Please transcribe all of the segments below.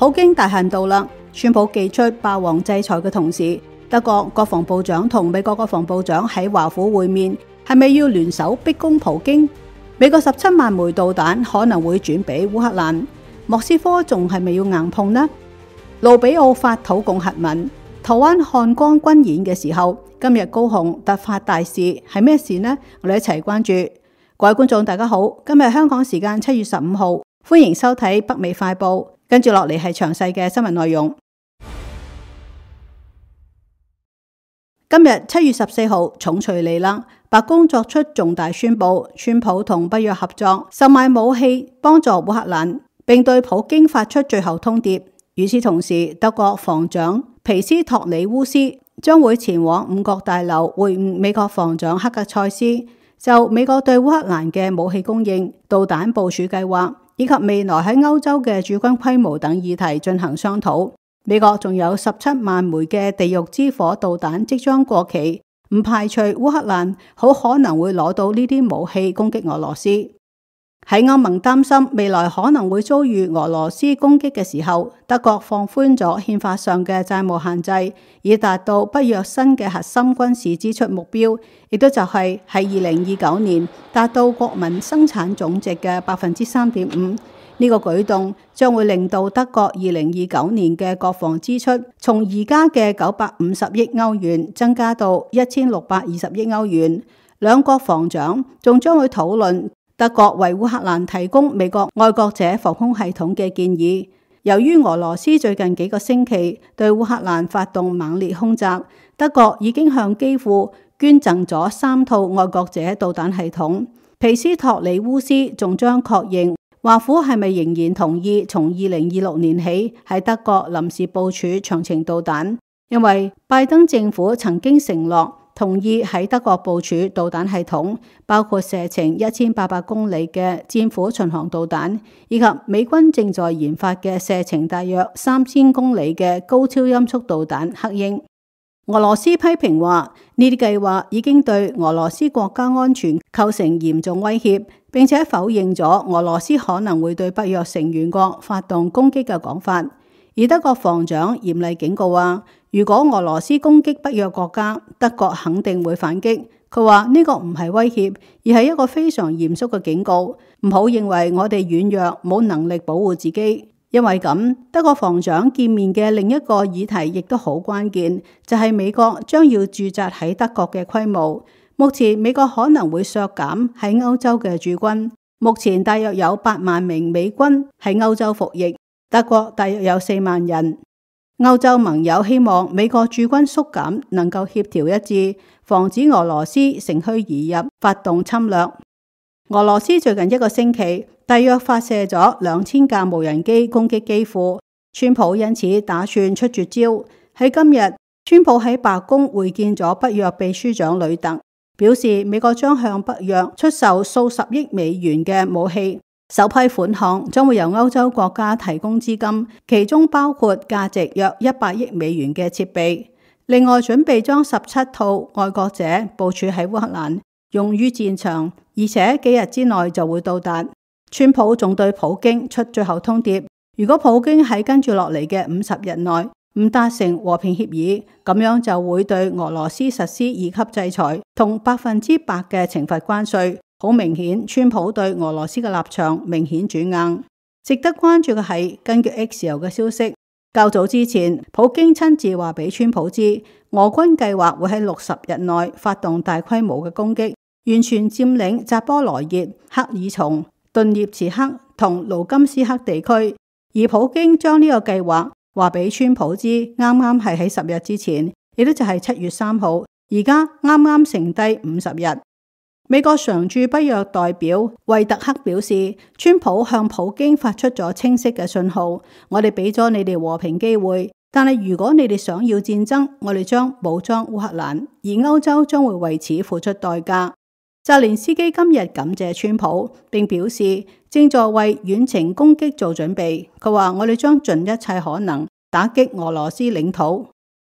普京大限到啦，宣布寄出霸王制裁嘅同時，德國國防部長同美國國防部長喺華府會面，係咪要聯手逼攻普京？美國17萬枚導彈可能會轉俾烏克蘭，莫斯科仲係咪要硬碰呢？盧比奧發土共核文，台灣漢光軍演嘅時候，今日高雄突發大事，係咩事呢？我哋一齊關注。各位觀眾大家好，今日香港時間7月15號，歡迎收睇北美快報，跟住落嚟係詳細嘅新聞內容。今日7月14號，重錘嚟啦！白宮作出重大宣布，川普同北約合作，售賣武器幫助烏克蘭，並對普京發出最後通牒。與此同時，德國防長皮斯托里烏斯將會前往五角大樓會晤美國防長克格塞斯，就美國對烏克蘭嘅武器供應、導彈部署計劃以及未來喺歐洲嘅駐軍規模等議題進行商討。美國仲有17萬枚嘅地獄之火導彈即將過期，唔排除烏克蘭好可能會攞到呢啲武器攻擊俄羅斯。喺歐盟擔心未來可能會遭遇俄羅斯攻擊嘅時候，德國放寬咗憲法上嘅債務限制，以達到北約新嘅核心軍事支出目標，亦都就係喺2029年達到國民生產總值嘅3.5%。呢個舉動將會令到德國2029年嘅國防支出從而家嘅950億歐元增加到1620億歐元。兩國防長仲將會討論德國為烏克蘭提供美國愛國者防空系統嘅建議。由於俄羅斯最近幾個星期對烏克蘭發動猛烈空襲，德國已經向基輔捐贈咗3套愛國者導彈系統。皮斯托里烏斯仲將確認華府係咪仍然同意從2026年起喺德國臨時部署長程導彈，因為拜登政府曾經承諾同意喺德國部署導彈系統，包括射程1800公里嘅戰斧巡航導彈，以及美軍正在研發嘅射程大約3000公里嘅高超音速導彈黑鷹。俄羅斯批評話呢啲計劃已經對俄羅斯國家安全構成嚴重威脅，並且否認咗俄羅斯可能會對北約成員國發動攻擊嘅講法。而德國防長嚴厲警告話，如果俄羅斯攻擊北約國家，德國肯定會反擊。佢話呢個唔係威脅，而係一個非常嚴肅嘅警告，唔好認為我哋軟弱冇能力保護自己。因為咁，德國防長見面嘅另一個議題亦都好關鍵，就係美國將要駐紮喺德國嘅規模。目前美國可能會削減喺歐洲嘅駐軍，目前大約有8萬名美軍喺歐洲服役，德國大約有4萬人。歐洲盟友希望美國駐軍縮減，能夠協調一致，防止俄羅斯乘虛而入，發動侵略。俄羅斯最近一個星期大約發射咗2000架無人機攻擊基輔，川普因此打算出絕招。喺今日，川普喺白宮會見咗北約秘書長呂特，表示美國將向北約出售數十億美元嘅武器，首批款項將會由歐洲國家提供資金，其中包括價值約100億美元嘅設備。另外準備將17套愛國者部署喺烏克蘭，用於戰場，而且幾日之內就會到達。川普仲對普京出最後通牒，如果普京喺跟住落嚟嘅50日內唔達成和平協議，咁樣就會對俄羅斯實施2級制裁同100%嘅懲罰關稅。好明顯，川普對俄羅斯嘅立場明顯轉硬。值得關注嘅係，根據 X 嘅消息，較早之前，普京親自話俾川普知，俄軍計劃會喺60日內發動大規模嘅攻擊，完全佔領扎波羅熱、克爾松、頓涅茨克同盧甘斯克地區。而普京將呢個計劃話俾川普知，啱啱係喺10日之前，亦都就係7月3號，而家啱啱剩低50日。美國常駐北約代表惠特克表示，川普向普京發出咗清晰嘅信號，我哋俾咗你哋和平機會，但係如果你哋想要戰爭，我哋將武裝烏克蘭，而歐洲將會為此付出代價。澤連斯基今日感謝川普，並表示正在為遠程攻擊做準備。佢話：我哋將盡一切可能打擊俄羅斯領土。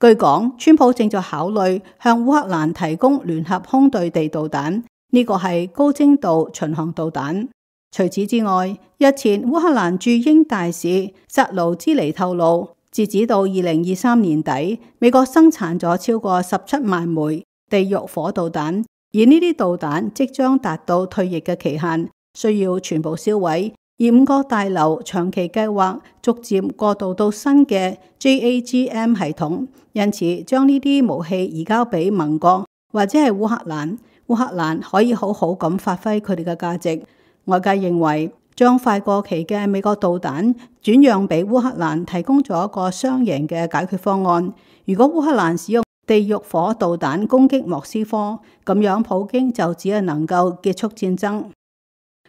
據講，川普正在考慮向烏克蘭提供聯合空對地導彈，呢個係高精度巡航導彈。除此之外，日前烏克蘭駐英大使扎盧茲尼透露，截止到2023年底，美國生產咗超過17萬枚地獄火導彈，而呢啲導彈即將達到退役嘅期限，需要全部銷毀。而五角大樓長期計劃逐漸過渡到新嘅 JAGM 系統，因此將呢啲武器移交俾盟國或者係烏克蘭，烏克蘭可以好好咁發揮佢哋嘅價值。外界認為將快過期嘅美國導彈轉讓俾烏克蘭，提供咗一個雙贏嘅解決方案。如果烏克蘭使用地獄火導彈攻擊莫斯科，咁樣普京就只係能夠結束戰爭。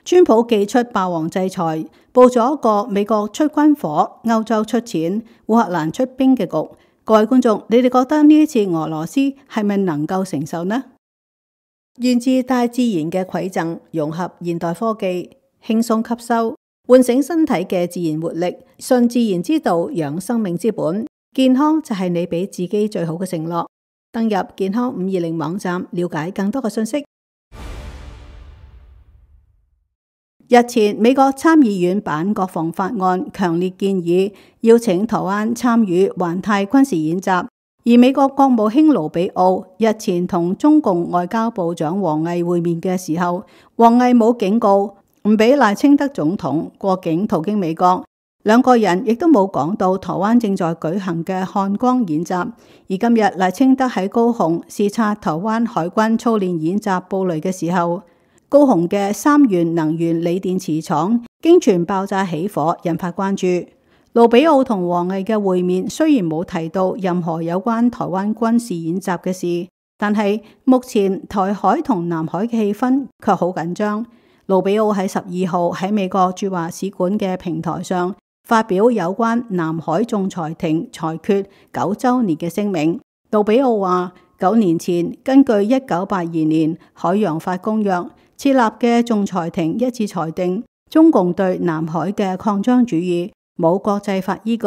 川普祭出霸王制裁，佈咗一個美國出軍火、歐洲出錢、烏克蘭出兵嘅局。各位觀眾，你哋覺得呢一次俄羅斯係咪能夠承受呢？源自大自然嘅饋贈，融合現代科技，輕鬆吸收，喚醒身體嘅自然活力，順自然之道，養生命之本。健康就係你俾自己最好嘅承諾。登入健康520網站，了解更多嘅信息。日前，美國參議院版國防法案強烈建議邀請台灣參與環太軍事演習，而美國國務卿盧比奧日前同中共外交部長王毅會面嘅時候，王毅冇警告唔俾賴清德總統過境途經美國，兩個人亦都冇講到台灣正在舉行嘅漢光演習。而今日賴清德喺高雄視察台灣海軍操練演習布雷嘅時候，高雄嘅三元能源鋰電池廠經傳爆炸起火，引發關注。盧比奧同王毅嘅會面雖然冇提到任何有關台灣軍事演習嘅事，但係目前台海同南海嘅氣氛卻好緊張。盧比奧喺12號喺美國駐華使館嘅平台上發表有關南海仲裁庭裁決9週年嘅聲明。盧比奧話：9年前根據1982年海洋法公約設立嘅仲裁庭一致裁定，中共對南海嘅擴張主義冇國際法依據。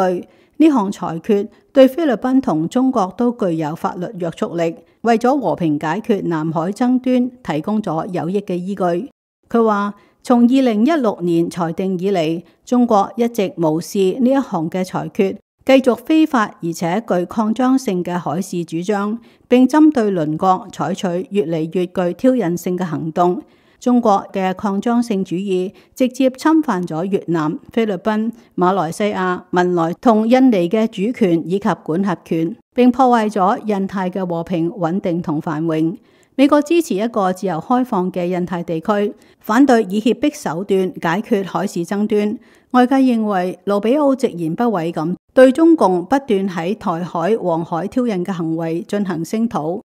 呢項裁決對菲律賓同中國都具有法律約束力，為咗和平解決南海爭端提供咗有益嘅依據。佢話：從2016年裁定以嚟，中國一直無視呢一項嘅裁決，繼續非法而且具擴張性嘅海事主張，並針對鄰國採取越嚟越具挑釁性嘅行動。中國嘅擴張性主義直接侵犯咗越南、菲律賓、馬來西亞、文萊同印尼嘅主權以及管轄權，並破壞咗印太嘅和平穩定同繁榮。美國支持一個自由開放嘅印太地區，反對以脅迫手段解決海事爭端。外界認為盧比奧直言不諱咁對中共不斷喺台海、黃海挑釁嘅行為進行聲討。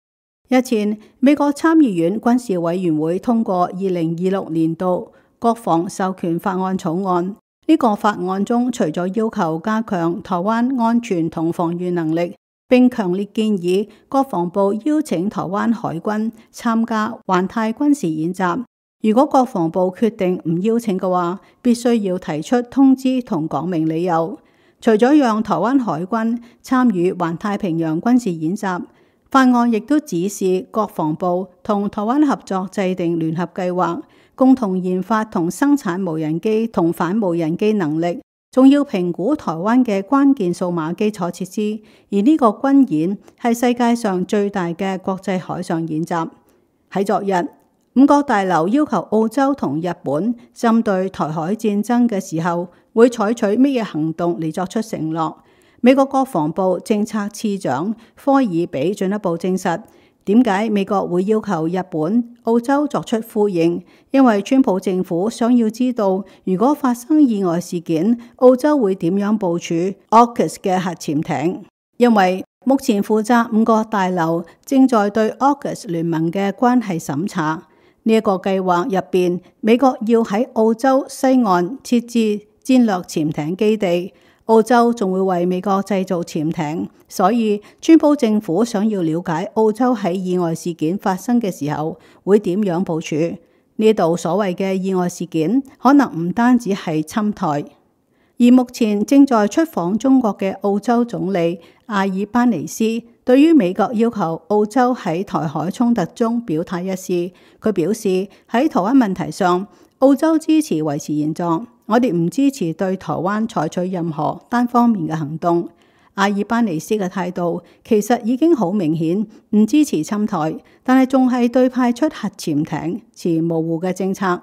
日前，美國參議院軍事委員會通過2026年度國防授權法案草案。呢個法案中，除咗要求加強台灣安全同防禦能力，並強烈建議國防部邀請台灣海軍參加環太軍事演習。如果國防部決定唔邀請嘅話，必須要提出通知同講明理由。除咗讓台灣海軍參與環太平洋軍事演習，法案亦都指示國防部同台灣合作制定聯合計劃，共同研發同生產無人機同反無人機能力，仲要評估台灣嘅關鍵數碼基礎設施。而呢個軍演係世界上最大嘅國際海上演習。喺昨日，五角大樓要求澳洲同日本針對台海戰爭嘅時候，會採取乜嘢行動嚟作出承諾。美國國防部政策次長科爾比進一步證實，點解美國會要求日本、澳洲作出呼應？因為川普政府想要知道，如果發生意外事件，澳洲會點樣部署 AUKUS 嘅核潛艇？因為目前負責五角大樓正在對 AUKUS 聯盟嘅關係審查。呢一個計劃入邊，美國要喺澳洲西岸設置戰略潛艇基地。澳洲仲會為美國製造潛艇，所以川普政府想要了解澳洲喺意外事件發生嘅時候會點樣部署。呢度所謂嘅意外事件，可能唔單止係侵台。而目前正在出訪中國嘅澳洲總理阿爾班尼斯，對於美國要求澳洲喺台海衝突中表態一事，佢表示喺台灣問題上，澳洲支持維持現狀，我哋唔支持對台灣採取任何單方面嘅行動。阿爾巴尼斯嘅態度其實已經好明顯，唔支持侵台，但係仲係對派出核潛艇持模糊嘅政策。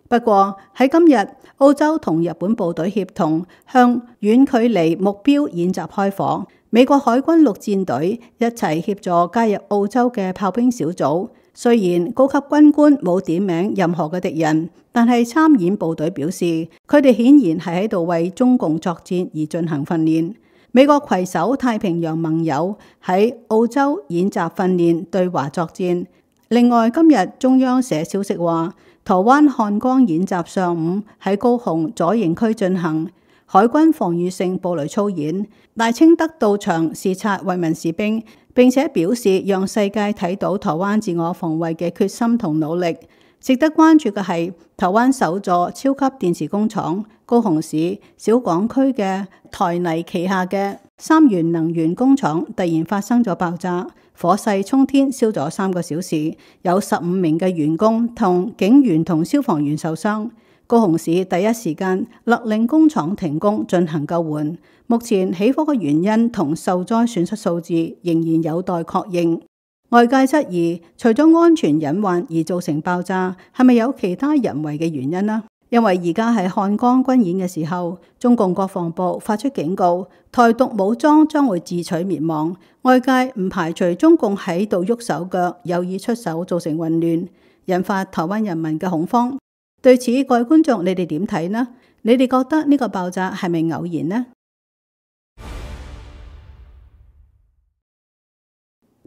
不過喺今日，澳洲同日本部隊協同向遠距離目標演習開火，美國海軍陸戰隊一齊協助加入澳洲嘅炮兵小組。雖然高級軍官冇點名任何嘅敵人，但係參演部隊表示，佢哋顯然係喺度為中共作戰而進行訓練。美國攜手太平洋盟友喺澳洲演習訓練對華作戰。另外，今日中央社消息話，台灣漢光演習上午喺高雄左營區進行，海軍防禦性布雷操演，賴清德到場視察慰問士兵，並且表示讓世界睇到台灣自我防衛嘅決心同努力。值得關注嘅係，台灣首座超級電池工廠高雄市小港區嘅台泥旗下嘅三元能源工廠突然發生咗爆炸，火勢沖天，燒咗3個小時，有15名嘅員工同警員同消防員受傷。高雄市第一時間勒令工廠停工進行救援。目前起火嘅原因同受災損失數字仍然有待確認。外界質疑，除咗安全隱患而造成爆炸，係咪有其他人為嘅原因呢？因為而家係漢光軍演嘅時候，中共國防部發出警告，台獨武裝將會自取滅亡。外界唔排除中共喺度喐手腳，有意出手造成混亂，引發台灣人民嘅恐慌。對此，各位觀眾，你哋點睇呢？你哋覺得呢個爆炸係咪偶然呢？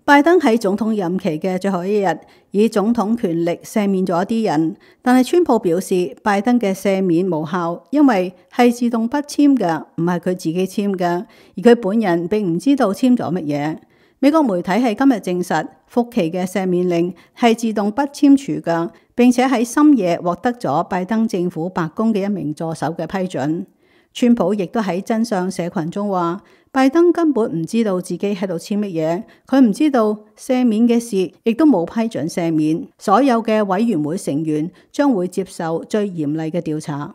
拜登喺總統任期嘅最後一日，以總統權力赦免咗一啲人，但係川普表示拜登嘅赦免無效，因為係自動不簽嘅，唔係佢自己簽嘅，而佢本人並唔知道簽咗乜嘢。美國媒體係今日證實，福奇嘅赦免令係自動不簽署嘅，並且喺深夜獲得咗拜登政府白宮嘅一名助手嘅批准。川普亦都喺真相社群中話，拜登根本唔知道自己喺度簽乜嘢，佢唔知道赦免嘅事，亦都冇批准赦免。所有嘅委員會成員將會接受最嚴厲嘅調查。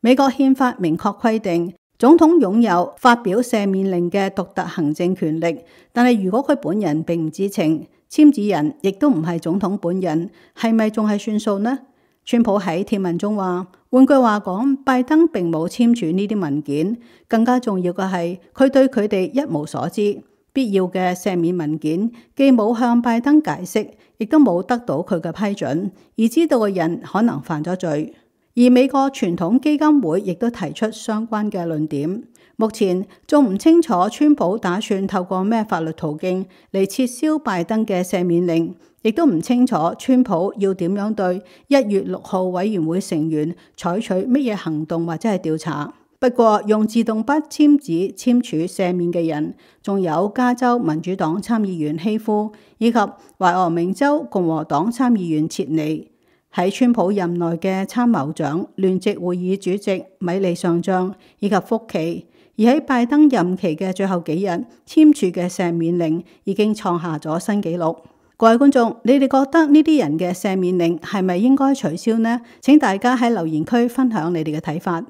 美國憲法明確規定，總統擁有發表赦免令嘅獨特行政權力，但係如果佢本人並唔知情，簽字人亦都唔係總統本人，係咪仲係算數呢？川普喺貼文中話，換句話講，拜登並冇簽署呢啲文件，更加重要嘅係佢對佢哋一無所知。必要嘅赦免文件既冇向拜登解釋，亦都冇得到佢嘅批准，而知道嘅人可能犯咗罪。而美國傳統基金會亦都提出相關嘅論點。目前仲唔清楚川普打算透過咩法律途徑嚟撤銷拜登嘅赦免令，亦都唔清楚川普要點樣對1月6號委員會成員採取乜嘢行動或者係調查。不過用自動筆簽紙簽署赦免嘅人，仲有加州民主黨參議員希夫以及懷俄明州共和黨參議員切尼。喺川普任內嘅參謀長、聯席會議主席米利上將以及福奇，而喺拜登任期嘅最後幾日簽署嘅赦免令已經創下咗新紀錄。各位觀眾，你哋覺得呢啲人嘅赦免令係咪應該取消呢？請大家喺留言區分享你哋嘅睇法。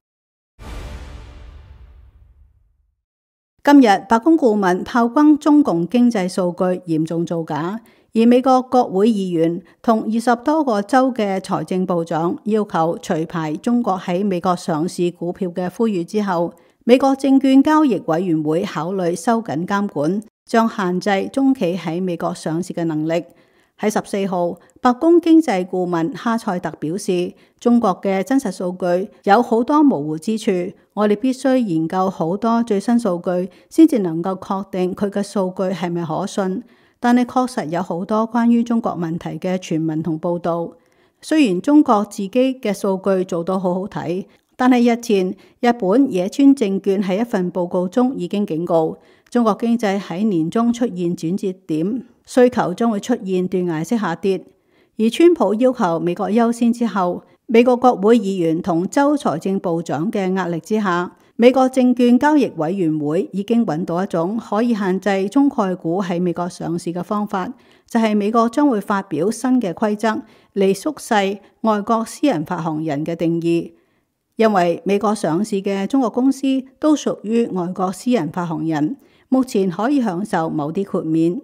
今日白宮顧問炮轟中共經濟數據嚴重造假。而美國國會議員同20多個州嘅財政部長要求除牌中國喺美國上市股票嘅呼籲之後，美國證券交易委員會考慮收緊監管，將限制中企喺美國上市嘅能力。喺14號，白宮經濟顧問哈塞特表示，中國嘅真實數據有好多模糊之處，我哋必須研究好多最新數據，先至能夠確定佢嘅數據係咪可信。但係確實有好多關於中國問題嘅傳聞同報導。雖然中國自己嘅數據做到好好睇，但係日前日本野村證券喺一份報告中已經警告，中國經濟喺年中出現轉折點，需求將會出現斷崖式下跌。而川普要求美國優先之後，美國國會議員同州財政部長嘅壓力之下，美國證券交易委員會已經揾到一種可以限制中概股喺美國上市嘅方法，就係美國將會發表新嘅規則嚟縮細外國私人發行人嘅定義，因為美國上市嘅中國公司都屬於外國私人發行人，目前可以享受某啲豁免。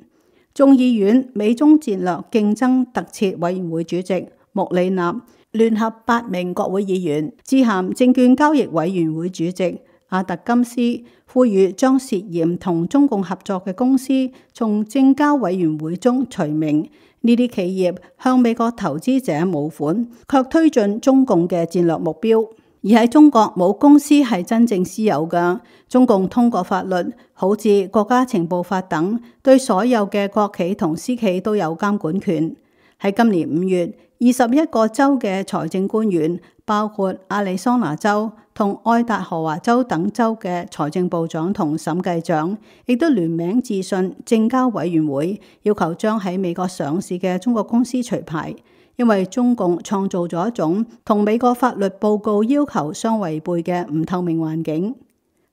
眾議院美中戰略競爭特設委員會主席穆里納聯合8名國會議員致函證券交易委員會主席阿特金斯，呼籲將涉嫌同中共合作嘅公司從證交委員會中除名。呢啲企業向美國投資者募款，卻推進中共嘅戰略目標。而喺中國冇公司係真正私有嘅，中共通過法律，好似國家情報法等，對所有嘅國企同私企都有監管權。喺今年5月，21個州嘅財政官員，包括亞利桑那州同愛達荷華州等州嘅財政部長同審計長，亦都聯名致信證交委員會，要求將喺美國上市嘅中國公司除牌。因為中共創造咗一種同美國法律報告要求相違背嘅唔透明環境。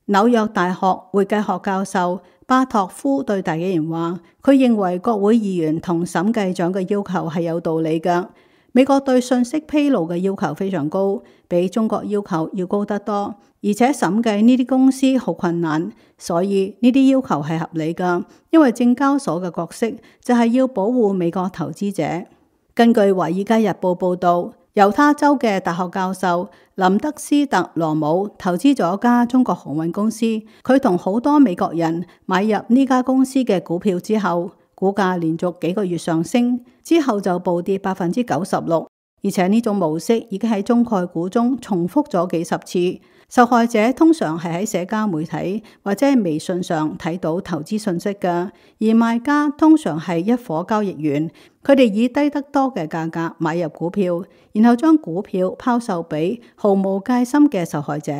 紐約大學會計學教授巴托夫對大紀元話，佢認為國會議員同審計長嘅要求係有道理㗎。美國對信息披露嘅要求非常高，比中國要求要高得多，而且審計呢啲公司好困難，所以呢啲要求係合理㗎。因為證交所嘅角色就係要保護美國投資者。根據《華爾街日報》報導，猶他州嘅大學教授林德斯特羅姆投資咗家中國航運公司，佢同好多美國人買入呢家公司嘅股票之後，股價連續幾個月上升，之後就暴跌96%，而且呢種模式已經喺中概股中重複咗幾十次。受害者通常係喺社交媒體或者係微信上睇到投資信息嘅，而賣家通常係一夥交易員，佢哋以低得多嘅價格買入股票，然後將股票拋售俾毫無戒心嘅受害者。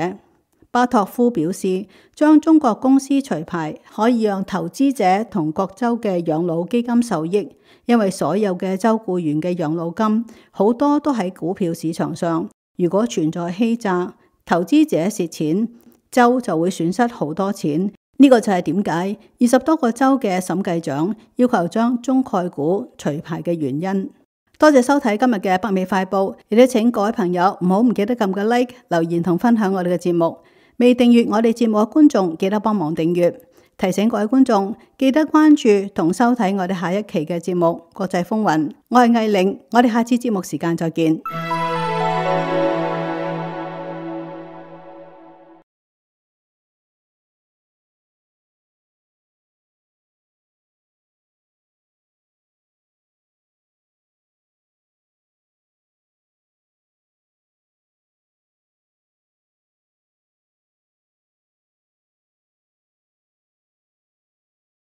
巴托夫表示，將中國公司除牌可以讓投資者同各州嘅養老基金受益，因為所有嘅州僱員嘅養老金好多都喺股票市場上，如果存在欺詐，投資者蝕錢，州就會損失好多錢。呢個就係點解20多個州嘅審計長要求將中概股除牌嘅原因。多謝收睇今日嘅北美快報，亦都請各位朋友唔記得撳個 like、留言同分享我哋嘅節目。未訂閱我哋節目嘅觀眾，記得幫忙訂閱。提醒各位觀眾，記得關注同收睇我哋下一期嘅節目《國際風雲》。我係藝玲，我哋下次節目時間再見。